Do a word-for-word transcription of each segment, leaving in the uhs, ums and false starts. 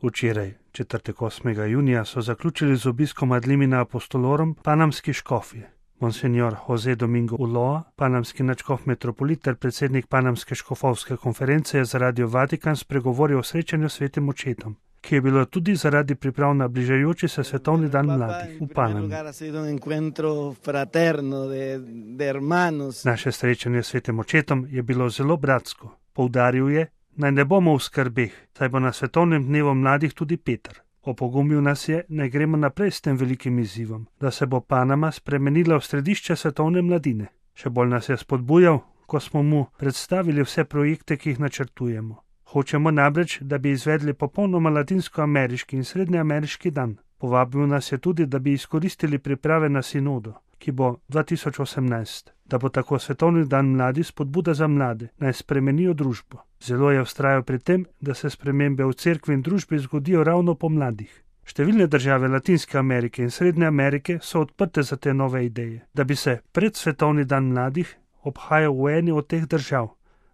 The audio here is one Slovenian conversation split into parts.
Včeraj, četrtek osmega junija, so zaključili z obiskom ad limina apostolorum panamski škofje. Monsignor Jose Domingo Ulloa, panamski nadškof metropolit ter predsednik panamske škofovske konference, je za Radio Vatikan spregovoril o srečanju s svetim očetom, ki je bilo tudi zaradi priprav na bližajoči se svetovni dan mladih v Panami. Naše srečanje s svetim očetom je bilo zelo bratsko. Poudaril je, naj ne bomo v skrbeh, saj bo na svetovnem dnevu mladih tudi Peter. Opogumil nas je, naj gremo naprej s tem velikim izzivom, da se bo Panama spremenila v središče svetovne mladine. Še bolj nas je spodbujal, ko smo mu predstavili vse projekte, ki jih načrtujemo. Hočemo namreč, da bi izvedli popolnoma latinskoameriški in srednjeameriški dan. Povabil nas je tudi, da bi izkoristili priprave na sinodo, ki bo dva tisoč osemnajst, da bo tako svetovni dan mladi spodbuda za mlade, naj spremenijo družbo. Zelo je vztrajal pri tem, da se spremembe v cerkvi in družbi zgodijo ravno po mladih. Številne države Latinske Amerike in Srednje Amerike so odprte za te nove ideje, da bi se pred svetovni dan mladih obhajal v eni od teh držav.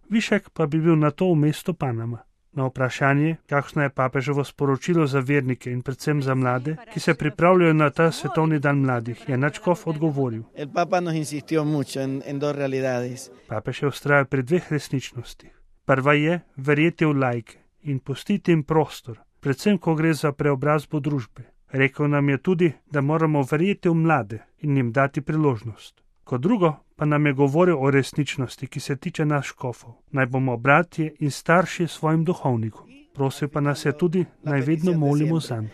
Višek pa bi bil na to v mestu Panama. Na vprašanje, kakšno je papeževo sporočilo za vernike in predvsem za mlade, ki se pripravljajo na ta svetovni dan mladih, je nadškof odgovoril. Papež je vztrajal pri dveh resničnostih. Prva je verjeti v laike in pustiti jim prostor, predvsem ko gre za preobrazbo družbe. Rekel nam je tudi, da moramo verjeti v mlade in jim dati priložnost. Kot drugo pa nam je govoril o resničnosti, ki se tiče nas škofov. Naj bomo bratje in starši svojim duhovnikom. Prosil pa nas je tudi, naj vedno molimo zanj.